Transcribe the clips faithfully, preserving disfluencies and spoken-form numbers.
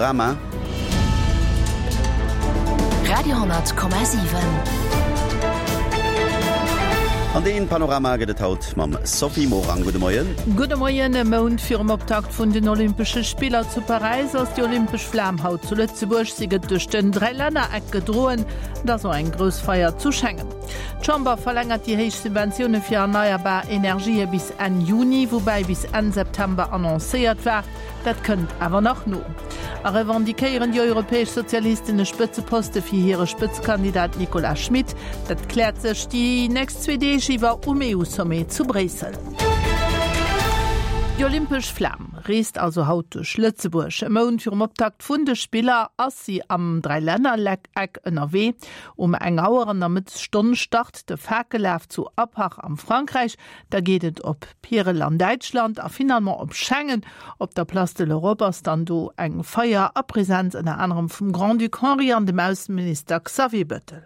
Rama. Radio hundert Komma siwen. An deen Panorama gëtt et haut mam Sophie Morang. Gudde Moien. Gudde Moien. E Mount virum Optakt vun den Olympesche Spiller zu Paräis ass déi olympesch Flam haut zu Lëtzebuerg. Si gëtt duerch den Dräilännereck gedroen. Et ass och eng grouss Feier zu Schengen. D'Chamber verlängert déi héich Subventioune fir erneierbar Energië bis Enn Juni, woubäi bis Enn September annoncéiert war. Dat kënnt awer nach no. A revendiquéieren déi europäesch Sozialisten e Spëtzeposte fir hire Spëtzekandidat Nicolas Schmit? Dat kläert sech déi nächst zwee Deeg iwwer um E U-Sommet zu Bréissel. Déi olympesch Flam reest also haut duerch Lëtzebuerg. E Mount virum Optakt vun de Spiller ass si am Dräilännereck ënnerwee. Um eng Auer an der Mëttesstonn start de Fakellaf zu Apach am Frankräich. Da geet et op Pierel an Däitschland a finalement op Schengen. Op der Place de l'Europe ass dann do eng Feier a Presenz ënner anerem vum Grand-Duc Henri an dem Ausseminister Xavier Bettel.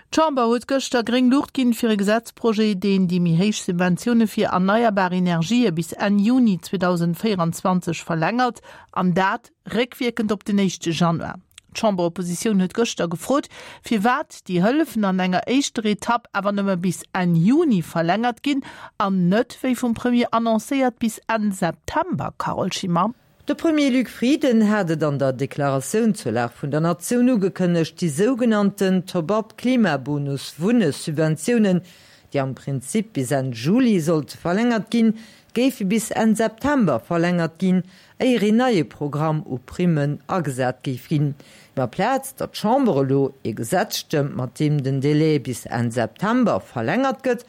D'Chamber huet gëschter gréng Luucht ginn fir e Gesetzprojet, deen déi méi héich Subventioune fir erneierbar Energië bis Enn Juni zweedausendvéierenzwanzeg verlängert, an dat réckwierkend op den éischte Januar. D'Chamberoppositioun huet gëschter gefrot, firwat déi Hëllefen an enger éischter Etapp awer nëmme bis Enn Juni verlängert ginn an net, wéi vum Premier annoncéiert, bis Enn September, Carole Schimmer. De Premier Luc Frieden hat et an der Deklaratioun zur Lag vun der Natioun ugekënnegt, déi sougenannten Top-up Klimabonus Wunnesubventiounen, déi am Prinzip bis Enn Juli sollte verlängert ginn, géife bis Enn September verlängert ginn, éier een neie Programm u Primmen agesat géif ginn. Ma amplaz datt d'Chamber elo e Gesetz stëmmt, mat deem den Delai bis Enn September verlängert gëtt,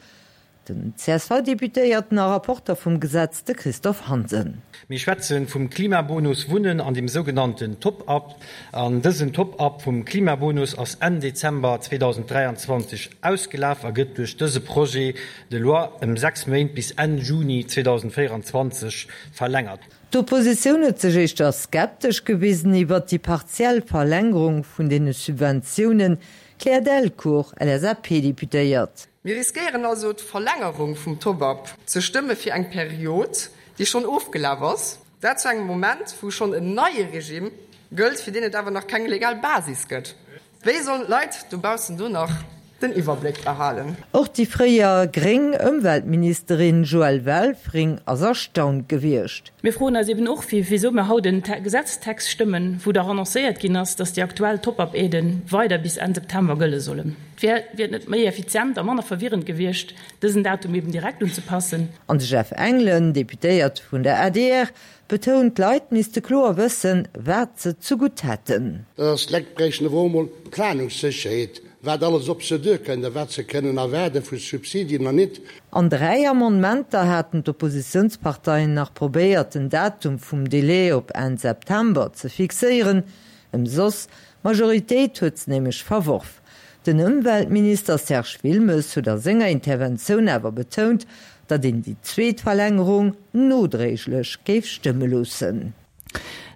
Den C S V-Deputéierten a Rapporter vum Gesetz, de Christophe Hansen. Mir schwätze vum Klimabonus Wunnen an dem sougenannten Top-up. An dësen Top-up vum Klimabonus ass Enn Dezember zweedausenddräianzwanzeg ausgelaf a gëtt duerch dëse Projet de loi ëm sechs Méint bis Enn Juni zweedausendvéierenzwanzeg verlängert. D'Oppositioun huet sech éischter skeptesch gewisen iwwert déi partiell Verlängerung vun deene Subventiounen, Claire Delcourt, L S A P-Deputéiert. Mir riskéieren also d'Verlängerung vum Top-up ze stëmme fir eng Period, déi schonn ofgelaf ass, dat zu engem Moment, wou schonn en neie Regime gëllt, fir deen et awer nach keng legal Basis gëtt. Wéi sollen d'Leit dobaussen do nach den Iwwerbléck behalen? Och déi fréier gréng Ëmweltministerin Joëlle Welfring ass erstaunt gewiescht. Mir froen eis eben och, wisou mir haut en Gesetztext stëmmen, wou dach annoncéiert ginn ass, dass déi aktuell Top-up-Aiden weider bis Enn September gëlle sollen. Wier et net méi effizient a manner verwirrend gewiescht, dësen Datum eben direkt unzepassen? An de Jeff Engelen, Deputéierte vun der A D R, betount, d'Leit misste kloer wëssen, wat se zegutt hätten. Dat ass, d'Leit bräichten awer och emol Planungssécherheet, wat alles op se duerkënnt a wat se kënnen erwaarde vu Subsidien an nit. An dräi Amendementer haten d'Oppositiounsparteien nach probéiert, den Datum vum Delai op Enn September ze fixéieren. Ëmsoss, d'Majoritéit huet se nämlech verworf. Den Ëmweltminister Serge Wilmes huet a senger Interventioun awer betount, datt een déi zweet Verlängerung nodréiglech géif stëmme loossen.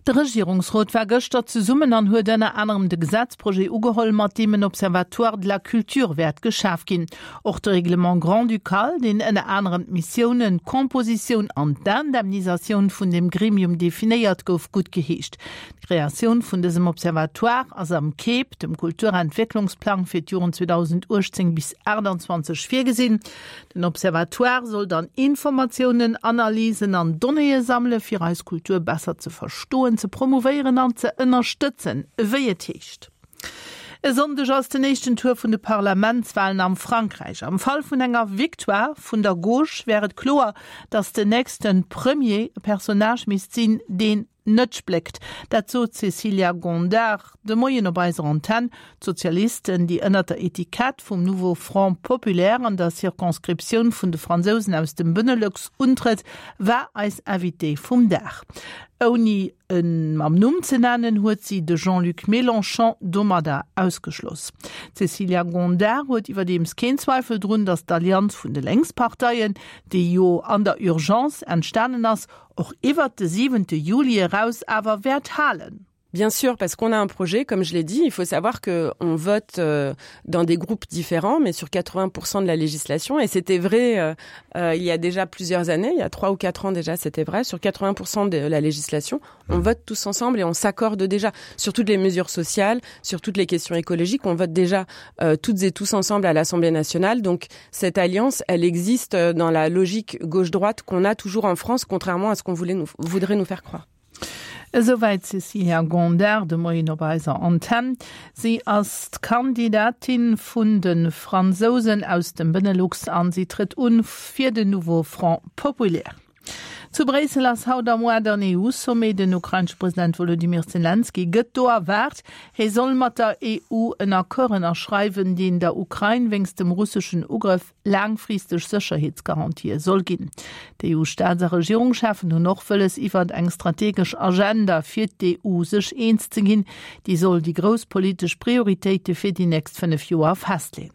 De Regierungsrot war gëschter zesummen an huet ënner anerem de Gesetzprojet ugeholl, mat deem en Observatoire de la culture wäert geschaf ginn. Och de Règlement grand-ducal, deen ënner anerem d'Missiounen, d'Kompositioun an d'Indemnisatioun vun dem Gremium definéiert, gouf guttgeheescht. D'Kreatioun vun dësem Observatoire ass am KEP, dem Kulturentwécklungsplang fir d'Joren zweedausenduechtzéng bis achtanzwanzeg virgesinn. Den Observatoire soll dann Informatiounen, Analysen an Donnéeë sammele fir eis Kultur besser ze verstoen, ze promouvéieren an ze ënnerstëtzen, wéi et heescht. E Sonndeg ass den éischten Tour vun de Parlamentswalen am Frankräich. Am Fall vun enger Victoire vun der Gauche wär et kloer, datt den nächste Premier e Personnage misst sinn, deen net spléckt. Dat sot d'Cécilia Gondard de Moien op eiser Antenn. D'Sozialisten, déi ënner der Etikett vum Nouveau Front Populaire an der Circonscriptioun vun de Fransousen aus dem Benelux untrëtt, war eis Invitée vum Dag. Ouni en mam Numm ze nennen, huet si de Jean-Luc Mélenchon domadder ausgeschloss. D'Cécilia Gondard huet iwwerdeems keen Zweifel drun, datt d'Allianz vun de Lénksparteien, déi jo an der Urgence entstanen ass, och iwwer de siwente Juli eraus awer wäert halen. Bien sûr, parce qu'on a un projet, comme je l'ai dit, il faut savoir que on vote euh, dans des groupes différents, mais sur quatre-vingts pour cent de la législation, et c'était vrai, euh, euh, il y a déjà plusieurs années, il y a trois ou quatre ans déjà, c'était vrai, sur quatre-vingts pour cent de la législation, on vote tous ensemble et on s'accorde déjà sur toutes les mesures sociales, sur toutes les questions écologiques, on vote déjà, euh, toutes et tous ensemble à l'Assemblée nationale. Donc cette alliance, elle existe dans la logique gauche-droite qu'on a toujours en France, contrairement à ce qu'on voulait nous, voudrait nous faire croire. Esouwäit d'Cécilia Gondard de Moien op eiser Antenn. Si ass d'Kandidatin vun de Fransousen aus dem Benelux an si trëtt un fir den Nouveau Front Populaire. Zu Bréissel ass haut am Moien den E U-Sommet. Den ukrainesche President Volodymyr Zelensky gëtt do erwaart. Hie soll mat der E U en Accord ënnerschreiwen, deen der Ukrain wéinst dem russeschen Ugrëff laangfristeg Sécherheetsgarantië soll ginn. D'E U-Staats- a Regierungscheffen hunn och wëlles, iwwert eng strategesch Agenda fir d'E U sech eens ze ginn. Déi soll déi grouss politesch Prioritéite fir déi nächst fënnef Joer festleeën.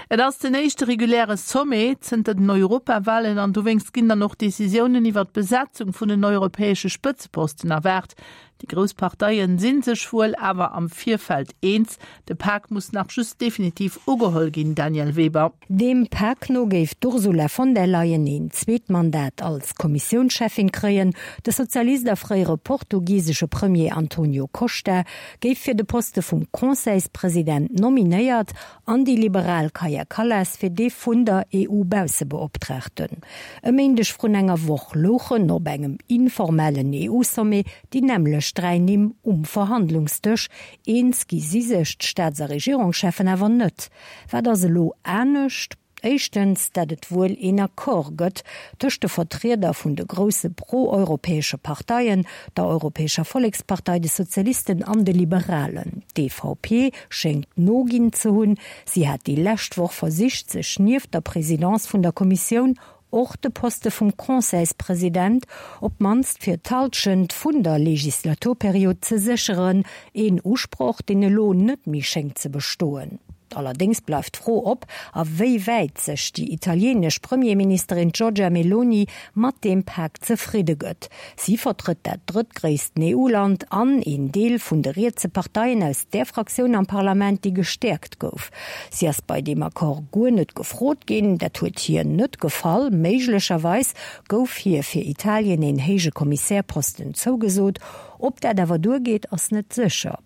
Et ass den éischte reguläre Sommet zënter den Europawahlen an dowéinst ginn dann och Decisiounen iwwer d'Besetzung vun den europäesche Spëtzeposten erwaart. Déi grouss Parteien sinn sech wuel awer am Virfeld eens. De Pak muss nach just definitiv ugeholl ginn, Daniel Weber. Dem Pak no géif d'Ursula von der Leyen een zweet Mandat als Kommissiounschefin kréien. De Sozialist a fréiere portugisesche Premier Antonio Costa géif fir de Poste vum Conseilspresident nominéiert an déi liberal Kaja Kallas fir dee vun der E U-Baussebeoptraagten. E Méindeg vrun enger Woch louchen op engem informellen E U-Sommet déi nämlech dräi Nimm um Verhandlungsdësch. Eens gi si sech d'Staats- a Regierungscheffen awer net. Wat ass elo anescht? Éischtens, dat et wuel een Accord gëtt tëscht de Vertrieder vun de grousse pro-europäesche Parteien, der Europäescher Volkspartei, de Sozialisten an de Liberalen. D V P schéngt noginn ze hunn. Si hat déi lescht Woch versicht, sech nieft der Presidence vun der Kommissioun och de Poste vum Conseilspräsident op d'mannst fir d'Hallschent vun der Legislaturperiod ze sécheren, een Usproch, deen elo net méi schéngt ze bestoen. Allerdings bleift d'Fro op, a wéi wäit sech déi italienesch Premierministerin Giorgia Meloni mat deem Pak zefridde gëtt. Si vertrëtt dat drëttgréissten E U-Land an een Deel vun de rietse Parteien aus der Fraktioun am Parlament, déi gestärkt gouf. Si ass bei deem Accord guer net gefrot ginn, dat huet hir net gefall. Méiglecherweis gouf hir fir Italien een héije Kommissärposten zougesot. Ob dat awer duergeet, ass net sécher.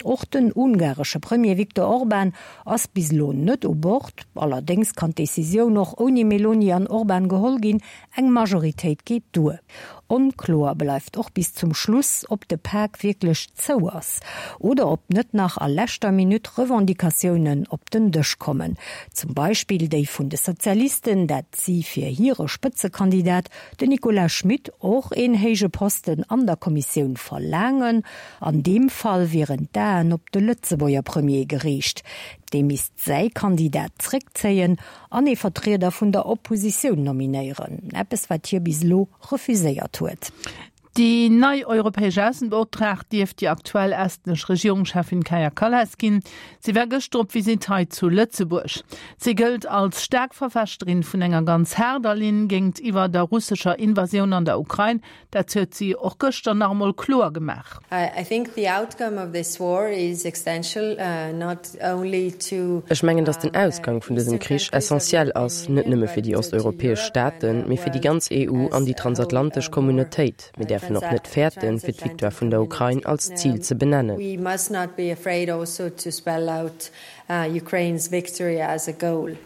Och den ungaresche Premier Viktor Orban ass bis elo net u Bord. Allerdings kann d'Decisioun och ouni Meloni an Orban geholl ginn, eng Majoritéit geet duer. Onkloer bleift och bis zum Schluss, ob de Pak wierklech zou ass oder ob net nach a leschter Minutt Revendicatiounen op den Dësch kommen. Zum Beispill déi vun de Sozialisten, dat si fir hire Spëtzekandidat, den Nicolas Schmit, och een héije Posten an der Kommissioun verlaangen. An deem Fall wieren d'Aen op de Lëtzebuerger Premier geriicht. Dee misst säi Kandidat zréckzéien an ee Vertrieder vun der Oppositioun nominéieren. Eppes, wat hie bis elo refuséiert huet. Déi nei europäesch Aussenbeoptraagt dierft déi aktuell estnesch Regierungschefin Kaja Kallas ginn. Si war gëschter op Visitt hei zu Lëtzebuerg. Si gëllt als staark Verfechterin vun enger ganz haarder Linn géintiwwer der russescher Invasioun an der Ukrain. Dat huet si och gëschter nach emol kloer gemaach. I think the outcome of this war is essential, uh, not only to, Ech mengen, dass den Ausgang vun dësem Krich essentiell ass, net nëmme fir déi osteuropäesch Staaten, mee fir déi ganz E U an déi transatlantesch Communautéit. Mir däerfen och net fäerten, fir d'Victoire vun der Ukrain als Zil ze benennen. We must not be afraid also to spell out, uh, Ukraine's victory as a goal.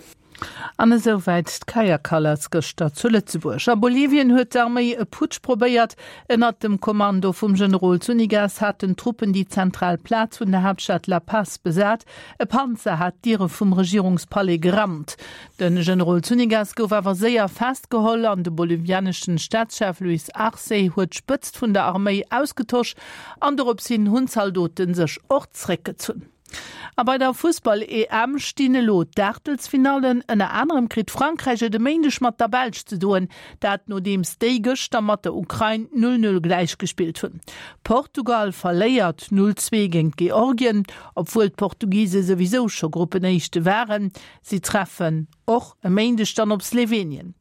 An esouwäit d'Kaja Kallas gëschter zu Lëtzebuerg. A Bolivien huet d'Arméi e Putsch probéiert. Ënnert dem Kommando vum Generol Zunigas haten Truppen déi zentral Plaz vun der Haaptstad La Paz besat. E Panzer hat d'Diere vum Regierungspalais gerammt. Den Generol Zunigas gouf awer séier festgeholl an de bolivianeschen Staatschef Luis Arce huet d'Spëtzt vun der Arméi ausgetosch an dorops hin hunn d'Zaldoten sech och zréckgezunn. A bei der Fussball-E M stinn elo d'Aachtelsfinallen. Ënner anerem kritt Frankräich et e Méindeg mat der Belsch ze doen, dat nodeems déi gëschter mat der Ukrain null null gläich gespillt hunn. Portugal verléiert null zwee géint Georgien, obwuel d'Portugise souwisou scho Gruppenéischte waren. Si treffen Och e Méindeg dann op Slowenien.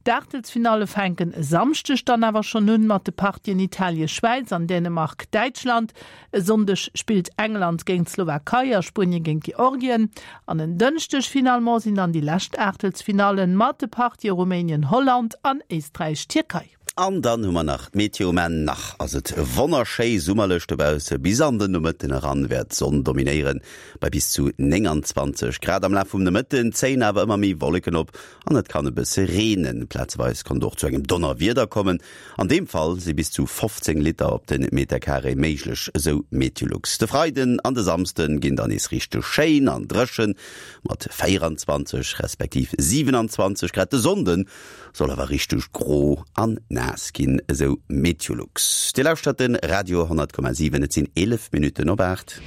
D'Aachtelsfinalle fänken e Samschdeg dann awer schonn un mat de Partien Italie-Schwäiz an Dänemark-Däitschland. E Sonndeg spillt England géint d'Slowakei a Spuenie géint Georgien. An en Dënschdeg finalement sinn dann déi lescht Aachtelsfinallen mat de Partië Rumänien-Holland an Éisträich-Tierkei. An dann hu mer nach d'Meteo. Mä nach ass et wonnerschéi summerlech dobausse. Bis an den Nomëtten eran wäert d'Sonn dominéieren, bei bis zu nénganzwanzeg Grad. Am Laf vum Nomëtten zéien awer ëmmer méi Wolleken op an et kann e bësse reenen. Plazeweis kann et och zu engem Donnerwieder kommen. An deem Fall si bis zu fofzéng Liter op de Meterkaree méiglech, esou Meteolux. De Freiden an de Samsde ginn dann nees richteg schéin an dréchen, mat véieranzwanzeg respektiv siwenanzwanzeg Grad. De Sonnde soll awer richteg gro an naass ginn, esou Meteolux. Dir lauschtert de Radio honnert Komma siwen, et sinn eelef Minutten op aacht.